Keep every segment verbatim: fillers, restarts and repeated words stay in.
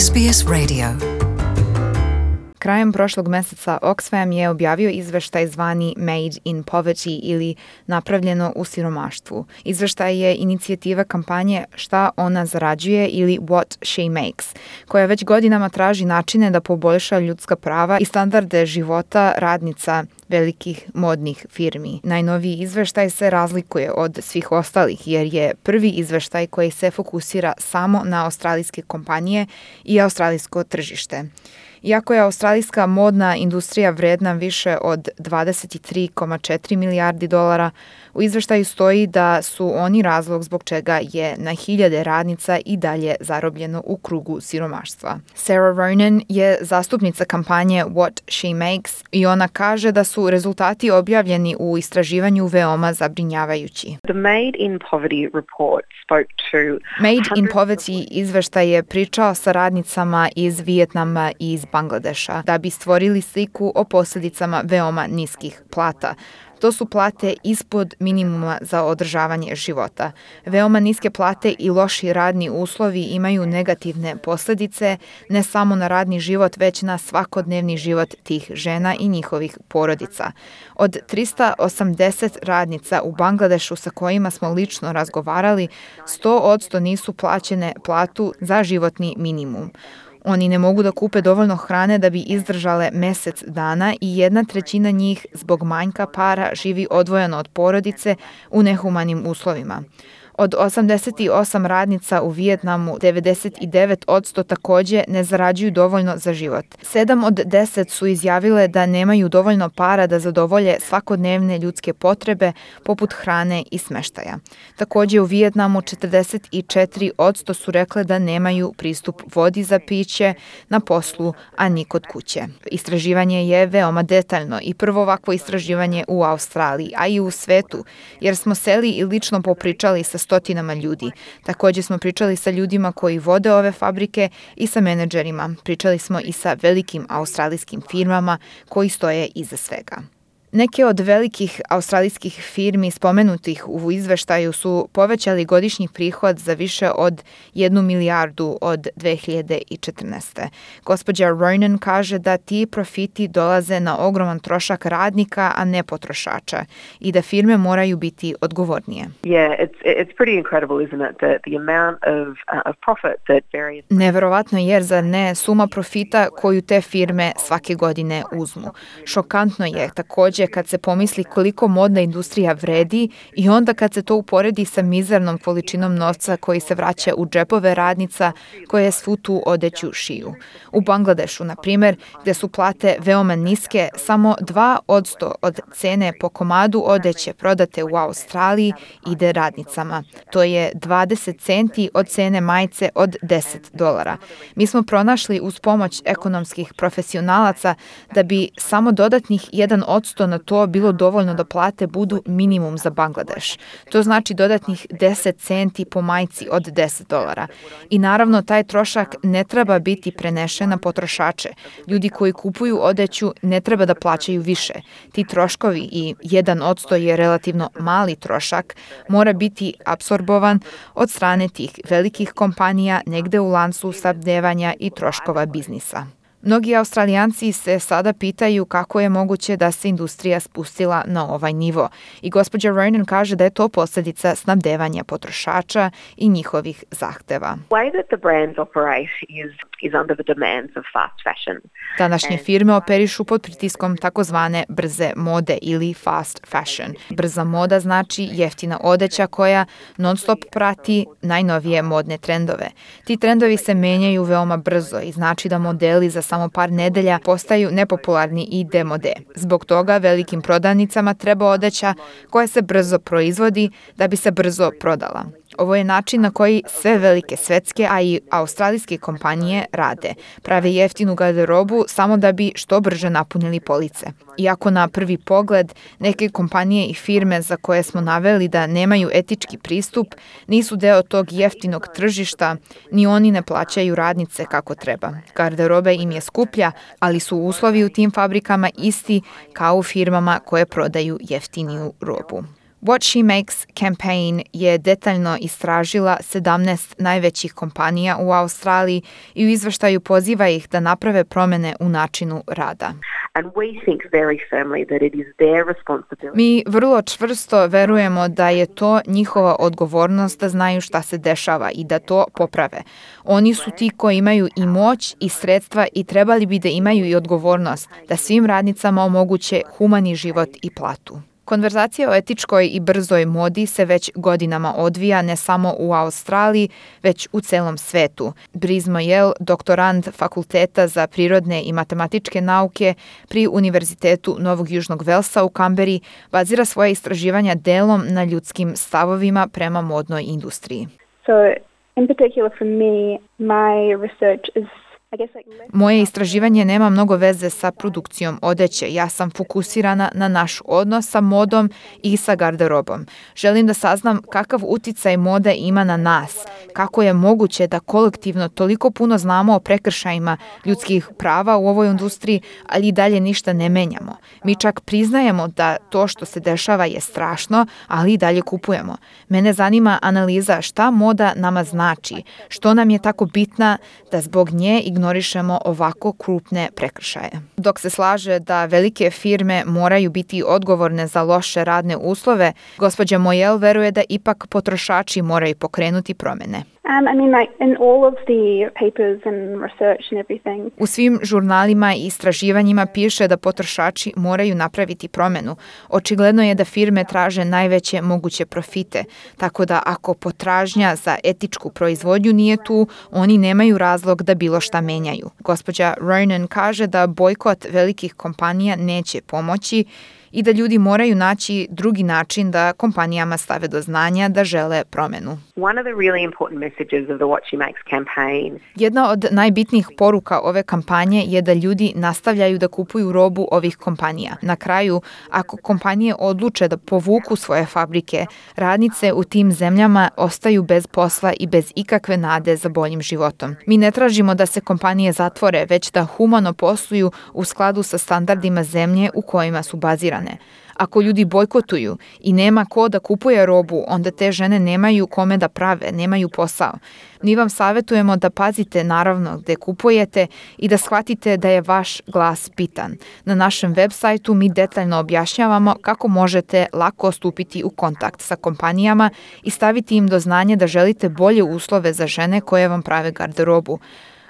S B S Radio. Krajem prošlog meseca Oxfam je objavio izveštaj zvani Made in Poverty ili napravljeno u siromaštvu. Izveštaj je inicijativa kampanje Šta ona zarađuje ili What she makes, koja već godinama traži načine da poboljša ljudska prava i standarde života radnica velikih modnih firmi. Najnoviji izveštaj se razlikuje od svih ostalih jer je prvi izveštaj koji se fokusira samo na australijske kompanije i australijsko tržište. Iako je australijska modna industrija vredna više od dvadeset tri zarez četiri milijardi dolara, u izveštaju stoji da su oni razlog zbog čega je na hiljade radnica i dalje zarobljeno u krugu siromaštva. Sarah Ronan je zastupnica kampanje What she makes i ona kaže da su rezultati objavljeni u istraživanju veoma zabrinjavajući. The Made in Poverty report spoke to Made in Poverty izveštaj je pričao sa radnicama iz Vijetnama i iz Bangladeša da bi stvorili sliku o posljedicama veoma niskih plata. To su plate ispod minimuma za održavanje života. Veoma niske plate i loši radni uslovi imaju negativne posljedice ne samo na radni život, već na svakodnevni život tih žena i njihovih porodica. Od trista osamdeset radnica u Bangladešu sa kojima smo lično razgovarali, sto posto nisu plaćene platu za životni minimum. Oni ne mogu da kupe dovoljno hrane da bi izdržale mjesec dana i jedna trećina njih zbog manjka para živi odvojeno od porodice u nehumanim uslovima. Od osamdeset osam radnica u Vijetnamu, devedeset devet posto također ne zarađuju dovoljno za život. sedam od deset su izjavile da nemaju dovoljno para da zadovolje svakodnevne ljudske potrebe poput hrane i smeštaja. Također u Vijetnamu četrdeset četiri posto su rekle da nemaju pristup vodi za piće na poslu, a ni kod kuće. Istraživanje je veoma detaljno i prvo ovakvo istraživanje u Australiji, a i u svetu, jer smo seli i lično popričali sa stotinama ljudi. Također smo pričali sa ljudima koji vode ove fabrike i sa menadžerima. Pričali smo i sa velikim australijskim firmama koji stoje iza svega. Neke od velikih australijskih firmi spomenutih u izveštaju su povećali godišnji prihod za više od jednu milijardu od dve hiljade četrnaeste. Gospođa Ronan kaže da ti profiti dolaze na ogroman trošak radnika, a ne potrošača i da firme moraju biti odgovornije. Yeah, it's it's pretty incredible, isn't it, that the amount of uh, of profit that various Neverovatno je, zar ne, suma profita koju te firme svake godine uzmu. Šokantno je također kad se pomisli koliko modna industrija vredi i onda kad se to uporedi sa mizernom količinom novca koji se vraća u džepove radnica koje svu tu odeću šiju. U Bangladešu, na primjer, gdje su plate veoma niske, samo dva posto od cene po komadu odeće prodate u Australiji ide radnicama. To je dvadeset centi od cene majice od deset dolara. Mi smo pronašli uz pomoć ekonomskih profesionalaca da bi samo dodatnih jedan posto na to bilo dovoljno da plate budu minimum za Bangladeš. To znači dodatnih deset centi po majici od deset dolara. I naravno taj trošak ne treba biti prenešen na potrošače. Ljudi koji kupuju odeću ne treba da plaćaju više. Ti troškovi i jedan posto je relativno mali trošak, mora biti apsorbovan od strane tih velikih kompanija negde u lancu snabdevanja i troškova biznisa. Mnogi Australijanci se sada pitaju kako je moguće da se industrija spustila na ovaj nivo. I gospođa Ronan kaže da je to posljedica snabdevanja potrošača i njihovih zahteva. The way that the brands operate is is under the demands of fast fashion. Današnje firme operišu pod pritiskom takozvane brze mode ili fast fashion. Brza moda znači jeftina odeća koja non-stop prati najnovije modne trendove. Ti trendovi se menjaju veoma brzo i znači da modeli za samo par nedelja postaju nepopularni i demode. Zbog toga velikim prodavnicama treba odeća koja se brzo proizvodi da bi se brzo prodala. Ovo je način na koji sve velike svetske, a i australijske kompanije rade. Prave jeftinu garderobu samo da bi što brže napunili police. Iako na prvi pogled neke kompanije i firme za koje smo naveli da nemaju etički pristup, nisu deo tog jeftinog tržišta, ni oni ne plaćaju radnice kako treba. Garderoba im je skuplja, ali su uslovi u tim fabrikama isti kao u firmama koje prodaju jeftiniju robu. What She Makes campaign je detaljno istražila sedamnaest najvećih kompanija u Australiji i u izveštaju poziva ih da naprave promjene u načinu rada. And we think very firmly that it is their responsibility. Mi vrlo čvrsto verujemo da je to njihova odgovornost da znaju šta se dešava i da to poprave. Oni su ti koji imaju i moć i sredstva i trebali bi da imaju i odgovornost da svim radnicama omoguće humani život i platu. Konverzacija o etičkoj i brzoj modi se već godinama odvija ne samo u Australiji, već u celom svetu. Brice Moyel, doktorant Fakulteta za prirodne i matematičke nauke pri Univerzitetu Novog Južnog Velsa u Kamberi, bazira svoje istraživanja delom na ljudskim stavovima prema modnoj industriji. So, in particular for me, my research is Moje istraživanje nema mnogo veze sa produkcijom odeće. Ja sam fokusirana na naš odnos sa modom i sa garderobom. Želim da saznam kakav uticaj moda ima na nas, kako je moguće da kolektivno toliko puno znamo o prekršajima ljudskih prava u ovoj industriji, ali i dalje ništa ne menjamo. Mi čak priznajemo da to što se dešava je strašno, ali i dalje kupujemo. Mene zanima analiza šta moda nama znači, što nam je tako bitna da zbog nje ignoriramo ignorišemo ovako krupne prekršaje. Dok se slaže da velike firme moraju biti odgovorne za loše radne uslove, gospođa Moyel veruje da ipak potrošači moraju pokrenuti promjene. Um, I mean, like in all of the papers and research and everything. U svim žurnalima i istraživanjima piše da potrošači moraju napraviti promjenu. Očigledno je da firme traže najveće moguće profite, tako da ako potražnja za etičku proizvodnju nije tu, oni nemaju razlog da bilo šta menjaju. Gospođa Ronan kaže da bojkot velikih kompanija neće pomoći i da ljudi moraju naći drugi način da kompanijama stave do znanja da žele promjenu. One of the really important messages of the What She Makes campaign. Jedna od najbitnijih poruka ove kampanje je da ljudi nastavljaju da kupuju robu ovih kompanija. Na kraju, ako kompanije odluče da povuku svoje fabrike, radnice u tim zemljama ostaju bez posla i bez ikakve nade za boljim životom. Mi ne tražimo da se kompanije zatvore, već da humano posluju u skladu sa standardima zemlje u kojima su bazirane. Ako ljudi bojkotuju i nema ko da kupuje robu, onda te žene nemaju kome da prave, nemaju posao. Mi vam savjetujemo da pazite naravno gde kupujete i da shvatite da je vaš glas bitan. Na našem web sajtu mi detaljno objašnjavamo kako možete lako stupiti u kontakt sa kompanijama i staviti im do znanja da želite bolje uslove za žene koje vam prave garderobu.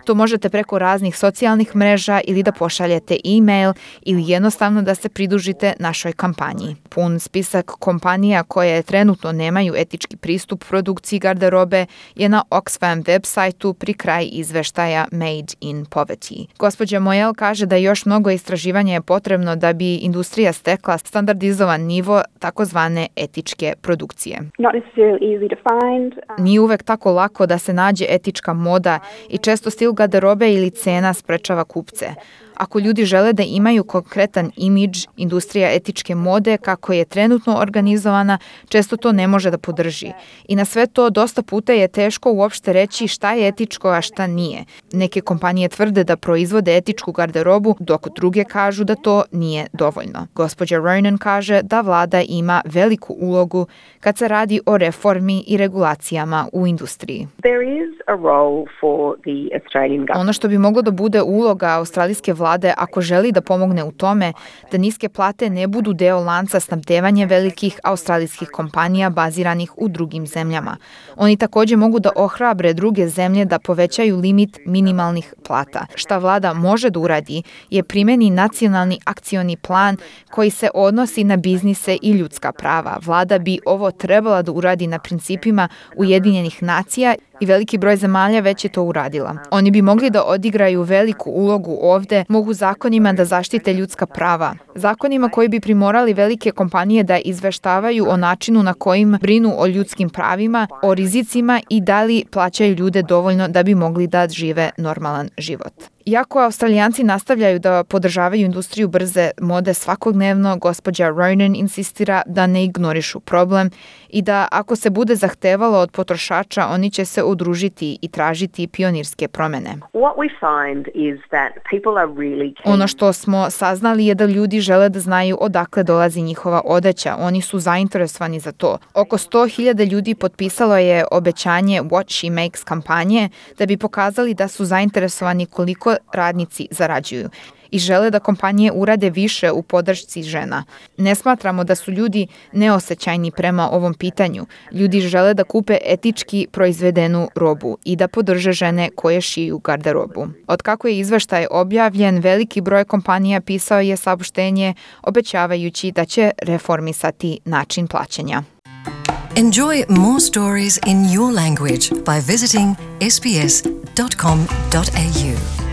To možete preko raznih socijalnih mreža ili da pošaljete e-mail ili jednostavno da se pridružite našoj kampanji. Pun spisak kompanija koje trenutno nemaju etički pristup produkciji garderobe je na Oxfam web sajtu pri kraj izveštaja Made in Poverty. Gospođa Moyel kaže da još mnogo istraživanja je potrebno da bi industrija stekla standardizovan nivo takozvane etičke produkcije. Not necessarily easy to find. Um... Nije uvek tako lako da se nađe etička moda i često stil garderobe ili cena sprečava kupce. Ako ljudi žele da imaju konkretan imidž, industrija etičke mode kako je trenutno organizovana, često to ne može da podrži. I na sve to dosta puta je teško uopšte reći šta je etičko, a šta nije. Neke kompanije tvrde da proizvode etičku garderobu, dok druge kažu da to nije dovoljno. Gospođa Ronan kaže da vlada ima veliku ulogu kad se radi o reformi i regulacijama u industriji. There is a role for the Australian government. Ono što bi moglo da bude uloga australijske vlade ako želi da pomogne u tome da niske plate ne budu deo lanca snabdevanja velikih australijskih kompanija baziranih u drugim zemljama. Oni također mogu da ohrabre druge zemlje da povećaju limit minimalnih plata. Šta vlada može da uradi je primeni nacionalni akcioni plan koji se odnosi na biznise i ljudska prava. Vlada bi ovo trebala da uradi na principima Ujedinjenih nacija i veliki broj zemalja već je to uradila. Oni bi mogli da odigraju veliku ulogu ovde, mogu zakonima da zaštite ljudska prava. Zakonima koji bi primorali velike kompanije da izveštavaju o načinu na kojim brinu o ljudskim pravima, o rizicima i da li plaćaju ljude dovoljno da bi mogli da žive normalan život. Iako Australijanci nastavljaju da podržavaju industriju brze mode svakodnevno, gospođa Ronan insistira da ne ignorišu problem i da ako se bude zahtevalo od potrošača, oni će se udružiti i tražiti pionirske promene. What we find is that people are really keen. Ono što smo saznali je da ljudi žele da znaju odakle dolazi njihova odeća. Oni su zainteresovani za to. Oko sto hiljada ljudi potpisalo je obećanje What She Makes kampanje da bi pokazali da su zainteresovani koliko radnici zarađuju i žele da kompanije urade više u podršci žena. Ne smatramo da su ljudi neosećajni prema ovom pitanju. Ljudi žele da kupe etički proizvedenu robu i da podrže žene koje šiju garderobu. Od kako je izveštaj objavljen, veliki broj kompanija pisao je saopštenje obećavajući da će reformisati način plaćanja. Enjoy more stories in your language by visiting s b s dot com dot a u.